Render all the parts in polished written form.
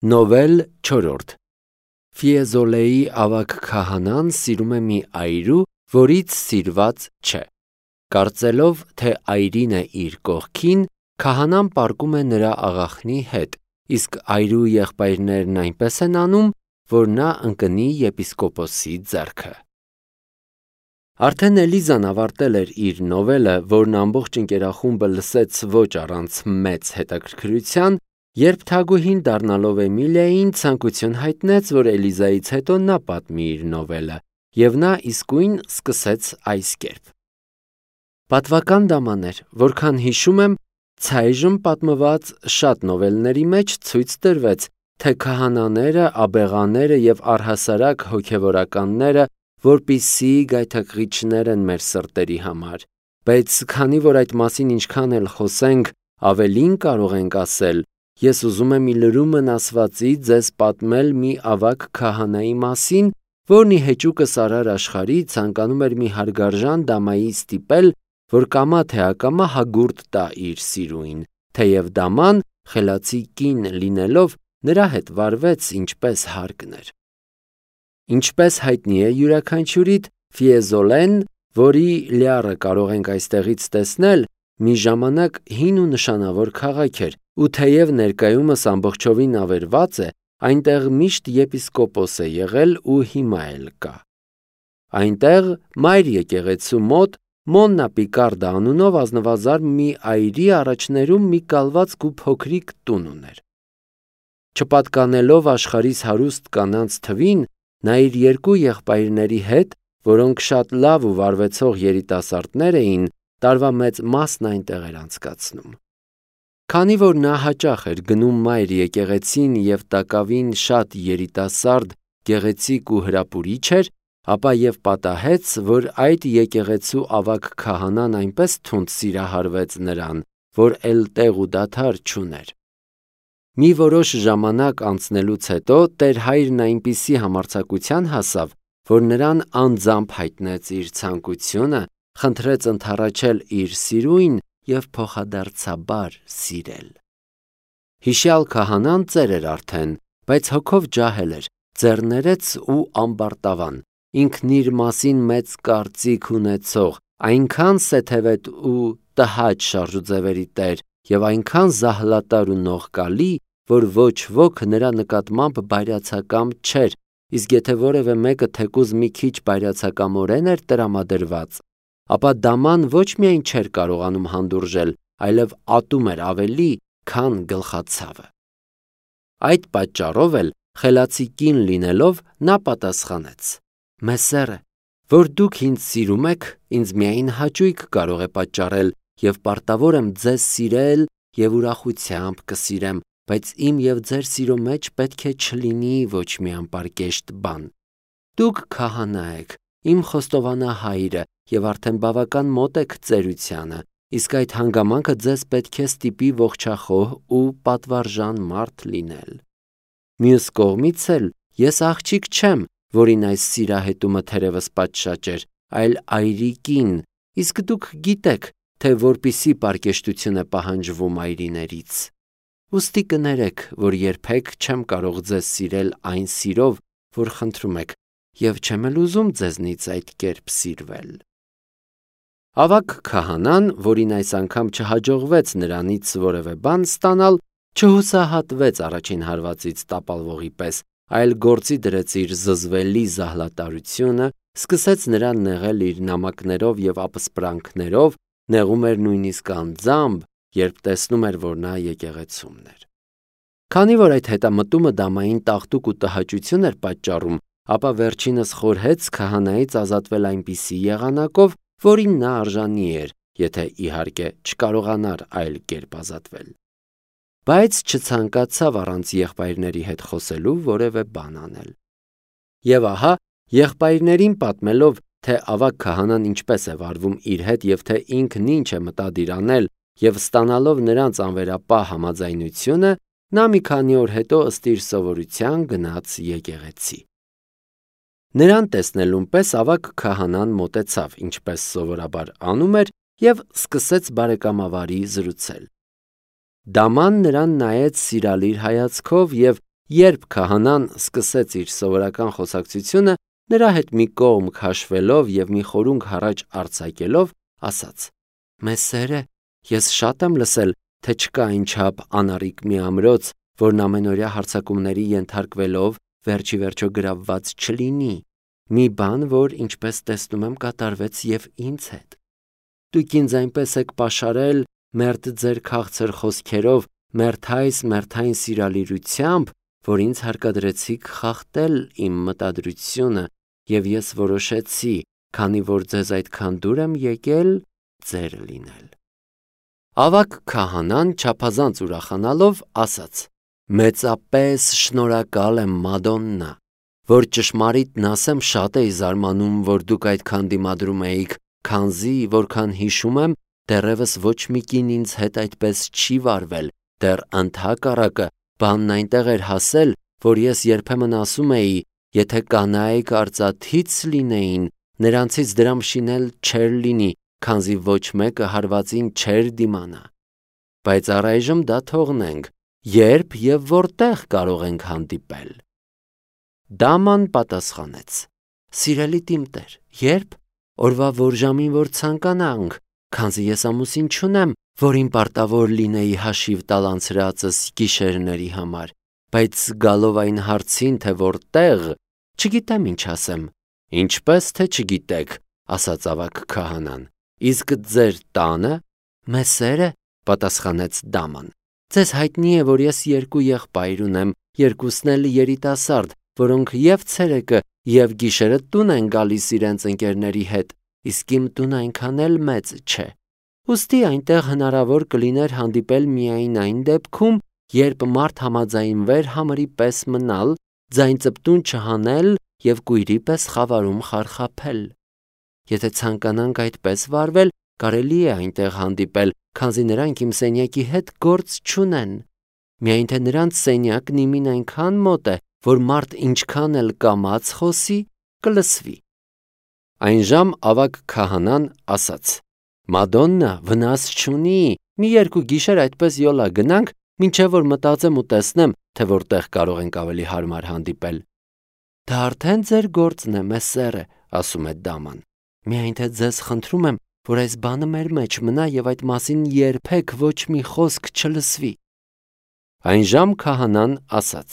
Նովել 4. Ֆիեզոլեի ավագ քահանան սիրում է մի այրու, որից սիրված չէ։ Կարծելով, թե այրին է իր կողքին, քահանան պառկում է նրա աղախնի հետ, իսկ այրու եղբայրներն այնպես են անում, որ նա ընկնի եպիսկոպոսի ձեռքը։ Արդեն Էլիզան ավարտել էր իր նովելը, որն ամբողջ ընկերախումբը լսեց ոչ առանց մեծ հետաքրքրության, երբ թագուհին դառնալով Էմիլիային ցանկություն հայտնեց, որ Էլիզայից հետո նա պատմի իր նովելը, և նա իսկույն սկսեց այս կերպ. Պատվական դաման էր, որքան հիշում եմ, ցայժմ պատմված շատ նովելների մեջ ցույց տրվեց, թե քահանաները, աբեղաները և առհասարակ հոգևորականները որպիսի գայթակղիչներ են մեր սրտերի համար, բայց քանի որ այդ մասին ինչքան էլ խոսենք, ավելին կարող ենք ասել, ես ուզում եմ ի լրումն ասվածի ձեզ պատմել մի ավագ քահանայի մասին, որն ի հեճուկս արար աշխարհի ցանկանում էր մի հարգարժան դամայի ստիպել, որ կամա թե ակամա հագուրդ տա իր սիրուին, թեև դաման, խելացի կին լինելով, նրա հետ վարվեց ինչպես հարկն էր։ Ինչպես հայտնի է յուրաքանչյուրիդ, Ֆիեզոլեն, որի լիառը կարող ենք այստեղից տեսնել, մի ժամանակ հին ու նշանավոր քաղաք էր, ու թեև ներկայումս ամբողջովին ավերված է, այնտեղ միշտ եպիսկոպոս է եղել ու հիմա էլ կա։ Այնտեղ մայր եկեղեցու մոտ Մոննա Պիկարդա անունով ազնվազարդ մի այրի առաջներում մի կալվածք ու փոքրիկ տուն ուներ։ Չպատկանելով աշխարհիս հարուստ կանանց թվին, նա իր երկու եղբայրների հետ, որոնք շատ լավ ու վարվեցող երիտասարդներ էին, տարվա մեծ մասն այնտեղ էր անցկացնում։ Քանի որ նա հաճախ էր գնում մայր եկեղեցին և տակավին շատ երիտասարդ, գեղեցիկ ու հրապուրիչ էր, ապա և պատահեց, որ այդ եկեղեցու ավագ քահանան այնպես թունդ սիրահարվեց նրան, որ էլ տեղ ու դադար չուներ։ Մի որոշ ժամանակ անցնելուց հետո տեր հայրն այնպիսի համարձակության հասավ, որ նրան անձամբ հայտնեց իր ցանկությունը, խնդրեց ընդառաջել իր սիրուին և փոխադարձաբար սիրել։ Հիշյալ քահանան ծեր էր արդեն, բայց հոգով ջահել էր, ձեռներեց ու ամբարտավան, ինքն իր մասին մեծ կարծիք ունեցող, այնքան սեթևետ ու տհաճ շարժուձևերի տեր և այնքան զահլատար ու նողկալի, որ ոչ ոք նրա նկատմամբ բայրացակամ չէր, իսկ եթե որևէ մեկը թեկուզ մի քիչ բայրացակամորեն էր տրամադրված, ապա դաման ոչ միայն չէր կարողանում հանդուրժել, այլև ատում էր ավելի, քան գլխացավը։ Այդ պատճառով էլ, խելացի կին լինելով, նա պատասխանեց. «Մեսերը, որ դուք ինձ սիրում եք, ինձ միայն հաճույք կարող է պատճառել և պարտավոր եմ ձեզ սիրել և ուրախությամբ կսիրեմ, բայց իմ և ձեր սիրո մեջ պետք է չլինի ոչ մի անպարկեշտ բան։ Դուք քահանա եք, իմ խոստովանահայրը և արդեն բավական մոտ եք ծերությանը, իսկ այդ հանգամանքը ձեզ պետք է ստիպի ողջախոհ ու պատվարժան մարդ լինել։ Մյուս կողմից էլ ես աղջիկ չեմ, որին այս սիրահետումը թերևս պատշաճ էր, այլ այրի կին, իսկ դուք գիտեք, թե որպիսի պարկեշտություն է պահանջվում այրիներից։ Ուստի կներեք, որ երբեք չեմ կարող ձեզ սիրել այն սիրով, որ խնդրում եք, և չեմ էլ ուզում ձեզնից այդ կերպ սիրվել»։ Ավագ քահանան, որին այս անգամ չհաջողվեց նրանից որևէ բան ստանալ, չհուսահատվեց առաջին հարվածից տապալվողի պես, այլ գործի դրեց իր զզվելի զահլատարությունը, սկսեց նրան նեղել իր նամակներով և ապսպրանքներով, նեղում էր նույնիսկ անձամբ, երբ տեսնում էր, որ նա եկեղեցումն էր։ Քանի որ այդ հետամտումը դամային տաղտուկ ու տհաճություն էր պատճառում, ապա վերջինս խորհեց քահանայից ազատվել այնպիսի եղանակով, որին նա արժանի էր, եթե իհարկե չկարողանար այլ կերպ ազատվել։ Բայց չցանկացավ առանց եղբայրների հետ խոսելու որևէ բան անել։ Եվ ահա, եղբայրներին պատմելով, թե ավագ քահանան ինչպես է վարվում իր հետ և թե ինքն ինչ է մտադիր անել, և ստանալով նրանց անվերապահ համաձայնությունը, նա մի քանի օր հետո ըստ իր սովորության գնաց եկեղեցի։ Նրան տեսնելուն պես ավագ քահանան մոտեցավ, ինչպես սովորաբար անում էր, և սկսեց բարեկամավարի զրուցել։ Դաման նրան նայեց սիրալիր հայացքով և, Երբ քահանան սկսեց իր սովորական խոսակցությունը, նրա հետ մի կողմ քաշվելով և մի խորհունք առաջ արձակելով, ասաց. «Մեսերը, ես շատ եմ լսել, թե չկա այնչափ անառիկ մի ամրոց, որն ամենօրյա հարձակումների ենթարկվելով վերջի վերջո գրավված չլինի, մի բան, որ ինչպես տեսնում եմ կատարվեց և ինձ հետ։ Դուք ինձ այնպես եք պաշարել, մերթ ձեր քաղցր խոսքերով, մերթային սիրալիրությամբ, որ ինձ հարկադրեցիք խախտել իմ մտադրությունը, և ես որոշեցի, քանի որ ձեզ այդքան դուր եմ եկել, ձեր լինել»։ Ավագ քահանան չափազանց ուրախանալով ասաց. «Մեծապես շնորհակալ եմ, Մադոննա, որ ճշմարիտն ասեմ, շատ էի զարմանում, որ դուք այդքան դիմադրում էիք, քանզի, որքան հիշում եմ, դեռևս ոչ մի կին ինձ հետ այդպես չի վարվել, դեռ ընդհակառակը, բանն այնտեղ էր հասել, որ ես երբեմն ասում էի, եթե կանայք արծաթից լինեին, նրանցից դրամ շինել չէր լինի, քանզի ոչ մեկը հարվածին չէր դիմանա։ Բայց առայժմ դա թողնենք, երբ և որտեղ կարող ենք հանդիպել»։ Դաման պատասխանեց. «Սիրելի տիմտեր, երբ, օրվա որ ժամին որ ցանկանանք, քանզի ես ամուսին չունեմ, որին պարտավոր լինեի հաշիվ տալ անցրածս գիշերների համար, բայց գալով այն հարցին, թե որտեղ, չգիտեմ ինչ ասեմ»։ «Ինչպես թե չգիտեք», ասաց ավագ քահանան, «իսկ ձեր տանը»։ «Մեսերը», պատասխանեց Դաման, «ձեզ հայտնի է, որ ես երկու եղբայր ունեմ, երկուսն էլ երիտասարդ, որոնք և ցերեկը, և գիշերը տուն են գալիս իրենց ընկերների հետ, իսկ իմ տունը այնքան էլ մեծ չէ։ Ուստի այնտեղ հնարավոր կլիներ հանդիպել միայն այն դեպքում, երբ մարդ համաձայնվեր համրի պես մնալ, ձայն ծպտուն չհանել և կույրի պես խավարում խարխափել։ Եթե ցանկանանք այդպես վարվել, կարելի է այնտեղ հանդիպել, քանզի նրանք իմ սենյակի հետ գործ չունեն։ Միայն թե նրանց սենյակն իմին այնքան մոտ է, որ մարդ ինչքան էլ կամաց խոսի, կլսվի»։ Այնժամ ավագ քահանան ասաց. «Մադոննա, վնաս չունի, մի երկու գիշեր այդպես յոլա գնանք, մինչև որ մտածեմ ու տեսնեմ, թե որտեղ կարող ենք ավելի հարմար հանդիպել»։ «Դա արդեն ձեր գործն է, մեսերը», ասում է Դաման, «միայն թե ձեզ խնդրում եմ, որ այս բանը մեր մեջ մնա և այդ մասին երբեք ոչ մի խոսք չլսվի»։ Այնժամ քահանան ասաց.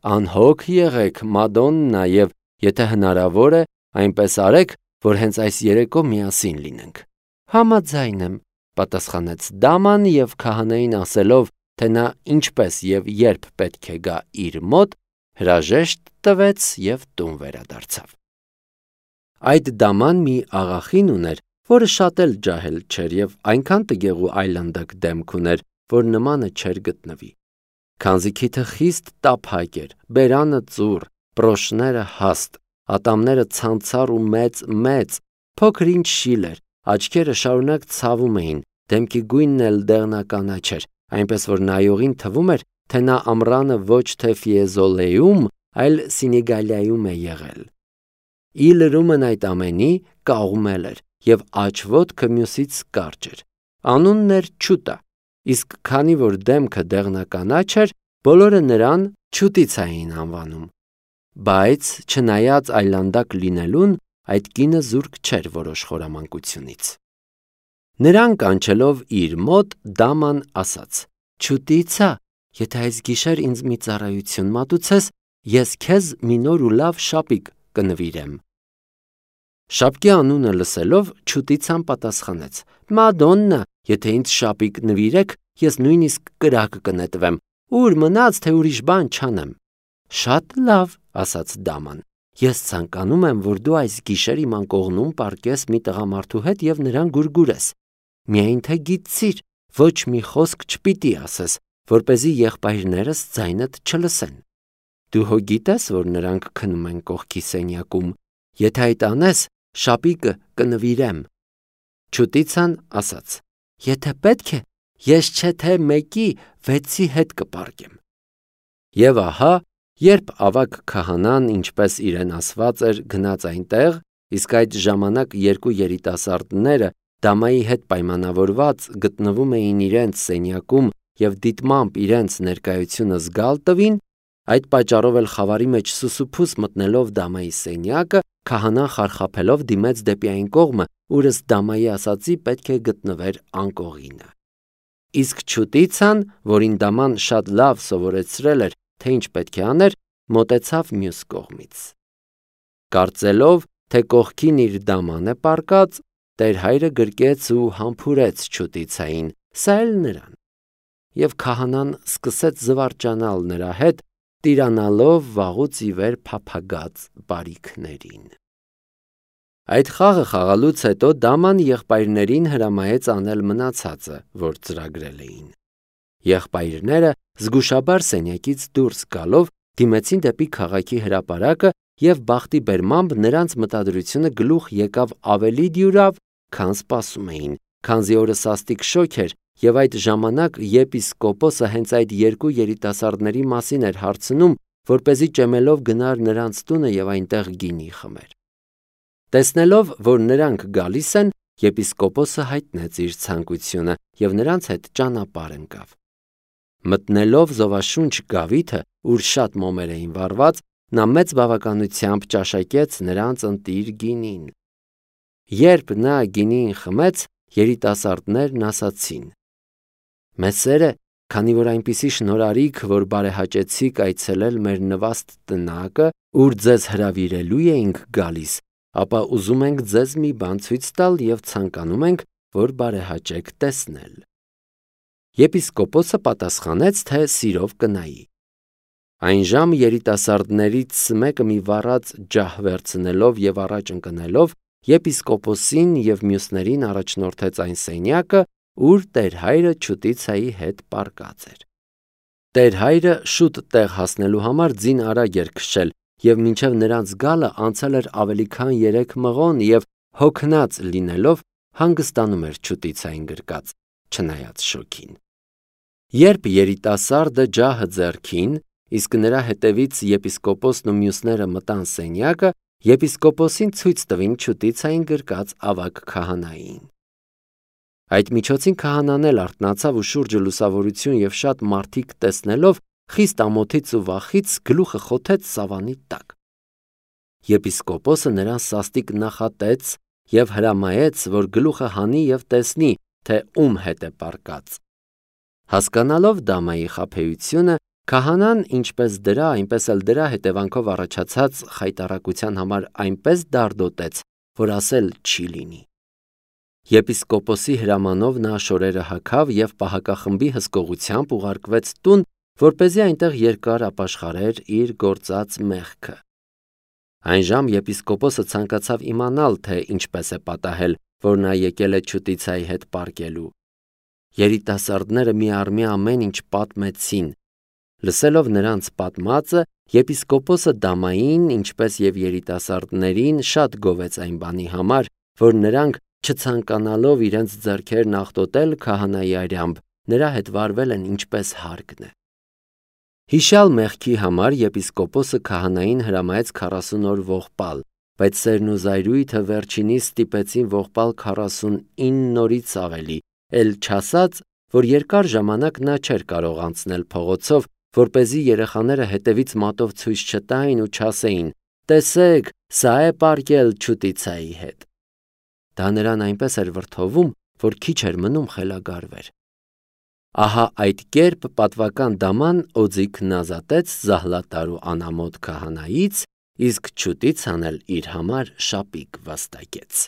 «Անհոգ եղեք, Մադոննա, և եթե հնարավոր է, այնպես արեք, որ հենց այս երեկո միասին լինենք»։ «Համաձայն եմ», պատասխանեց Դաման և քահանային ասելով, թե նա ինչպես և երբ պետք է գա իր մոտ, հրաժեշտ տվեց և տուն վերադարձավ։ Այդ դաման մի աղախին ուներ, որը շատ էլ ջահել չէր և այնքան տգեղ ու այլանդակ դեմք ուներ, որ նմանը չէր գտնվի։ Քանզի քիթը խիստ տափակ էր, բերանը ծուռ, պրոշները հաստ, ատամները ցանցառ ու մեծ, փոքր ինչ շիլ էր, աչքերը շարունակ ցավում էին, դեմքի գույնն էլ դեղնականաչ էր, այնպես որ նայողին թվում էր, թե նա ամռանը ոչ թե Ֆիեզոլեում, այլ Սենեգալիայում է եղել։ Ի լրումն այդ ամենի կաղումել էր և աջ ոտքը մյուսից կարճ էր։ Անունն էր Չուտա, իսկ քանի որ դեմքը դեղնականաչ էր, բոլորը նրան Չուտիցա էին անվանում։ Բայց չնայած այլանդակ լինելուն, այդ կինը զուրկ չէր որոշ խորամանկությունից։ Նրան կանչելով իր մոտ, Դաման ասաց. «Չուտիցա, եթե այս գիշեր ինձ մի ծառայություն մատուցես, ես քեզ մի նոր ու լավ շապիկ կնվիրեմ»։ Շապկի անունը լսելով, Չուտիցան պատասխանեց. «Մադոննա, եթե ինձ շապիկ նվիրեք, ես նույնիսկ կրակ կնետվեմ, ուր մնաց, թե ուրիշ բան չանեմ»։ «Շատ լավ», ասաց Դաման, «ես ցանկանում եմ, որ դու այս գիշեր իմ անկողնում պառկես մի տղամարդու հետ և նրան գուրգուրես։ Միայն թե գիտցիր, ոչ մի խոսք չպիտի ասես, որպեսզի եղբայրներս ձայնդ չլսեն։ Դու հո գիտես, որ նրանք քնում են կողքի սենյակում։ Եթե այդ անես, շապիկը կնվիրեմ»։ Չուտիցան ասաց. «Եթե պետք է, ես չէ թե մեկի, 6-ի հետ կպառկեմ»։ Եվ ահա, երբ ավագ քահանան, ինչպես իրեն ասված էր, գնաց այնտեղ, իսկ այդ ժամանակ երկու երիտասարդները դամայի հետ պայմանավորված գտնվում էին իրենց սենյակում և դիտմամբ իրենց ներկայությունը զգալ տվին, Այդ պատճառով էլ խավարի մեջ սուսուփուս մտնելով Դամայի սենյակը, քահանան խարխափելով դիմեց դեպի այն կողմը, ուր ըստ Դամայի ասացի պետք է գտնվեր անկողինը։ Իսկ չուտիցան, որին Դաման շատ լավ սովորեցրել էր, թե ինչ պետք է աներ, մոտեցավ մյուս կողմից։ Կարծելով, թե կողքին իր Դաման է պառկած, Տեր հայրը գրկեց ու համբուրեց չուտիցային, սա էլ նրան։ Եվ քահանան սկսեց զվարճանալ նրա հետ, տիրանալով վաղուց ի վեր փափագած բարիքներին։ Այդ խաղը խաղալուց հետո Դաման եղբայրներին հրամայեց անել մնացածը, որ ծրագրել էին։ Եղբայրները զգուշաբար սենյակից դուրս գալով դիմեցին դեպի քաղաքի հրապարակը և բախտի բերմամբ նրանց մտադրությունը գլուխ եկավ ավելի դյուրավ, քան սպասում էին, քանզի օրը սաստիկ շոգ էր և այդ ժամանակ եպիսկոպոսը հենց այդ երկու երիտասարդների մասին էր հարցնում, որպեսզի ճեմելով գնար նրանց տունը և այնտեղ գինի խմեր։ Տեսնելով, որ նրանք գալիս են, եպիսկոպոսը հայտնեց իր ցանկությունը և նրանց հետ ճանապարհ ընկավ։ Մտնելով զովաշունչ գավիթը, ուր շատ մոմեր էին վառված, նա մեծ բավականությամբ ճաշակեց նրանց ընտիր գինին։ Երբ նա գինին խմեց, երիտասարդներն ասացին. «Մեզ սեր է, քանի որ այնպիսի շնորհարիք, որ բարեհաճեցիք այցելել մեր նվաստ տնակը, ուր ձեզ հրավիրելու էինք գալիս, ապա ուզում ենք ձեզ մի բան ցույց տալ և ցանկանում ենք, որ բարեհաճեք տեսնել»։ Եպիսկոպոսը պատասխանեց, թե սիրով կնայի։ Այնժամ երիտասարդներից մեկը մի վառած ջահ վերցնելով և առաջ ընկնելով, եպիսկոպոսին և մյուսներին առաջնորդեց այն սենյակը, ուր Տեր հայրը չուտիցայի հետ պառկած էր։ Տեր հայրը շուտ տեղ հասնելու համար ձին արագ էր քշել և մինչև նրանց գալը անցել էր ավելի քան 3 մղոն և հոգնած լինելով հանգստանում էր չուտիցային գրկած, չնայած շոգին։ Երբ երիտասարդը ջահը ձեռքին, իսկ նրա հետևից եպիսկոպոսն ու մյուսները մտան սենյակը, եպիսկոպոսին ցույց տվին չուտիցային գրկած ավագ քահանային։ Այդ միջոցին քահանան էլ արթնացավ ու շուրջը լուսավորություն և շատ մարդիկ տեսնելով, խիստ ամոթից ու վախից գլուխը խոթեց սավանի տակ։ Եպիսկոպոսը նրան սաստիկ նախատեց և հրամայեց, որ գլուխը հանի և տեսնի, թե ում հետ է պառկած։ Հասկանալով Դամայի խաբեությունը, քահանան ինչպես դրա, այնպես էլ դրա հետևանքով առաջացած խայտառակության համար այնպես դարդոտեց, որ ասել չի լինի։ Եպիսկոպոսի հրամանով նա շորերը հագավ և պահակախմբի հսկողությամբ ուղարկվեց տուն, որպեսզի այնտեղ երկար ապաշխարեր իր գործած մեղքը։ Այնժամ եպիսկոպոսը ցանկացավ իմանալ, թե ինչպես է պատահել, որ նա եկել է չուտիցայի հետ պառկելու։ Երիտասարդները միառմի ամեն ինչ պատմեցին։ Լսելով նրանց պատմածը, եպիսկոպոսը Դամային, ինչպես և երիտասարդներին, շատ գովեց այն բանի համար, որ նրանք, չցանկանալով իրենց ձեռքերն աղտոտել քահանայի արյամբ, նրա հետ վարվել են ինչպես հարկն է։ Հիշյալ մեղքի համար եպիսկոպոսը քահանային հրամայեց 40 օր ողբալ, բայց սերն ու զայրույթը վերջինիս ստիպեցին ողբալ 49 օրից ավելի, էլ չասած, որ երկար ժամանակ նա չէր կարող անցնել փողոցով, որպեսզի երեխաները հետևից մատով ցույց չտային ու չասեին. «Տեսեք, սա է պառկել չուտիցայի հետ»։ Դա նրան այնպես էր վրդովում, որ քիչ էր մնում խելագարվեր։ Ահա այդ կերպ պատվական Դաման օձիքն ազատեց զահլատար ու անամոթ քահանայից, իսկ չուտիցան էլ իր համար շապիկ վաստակեց։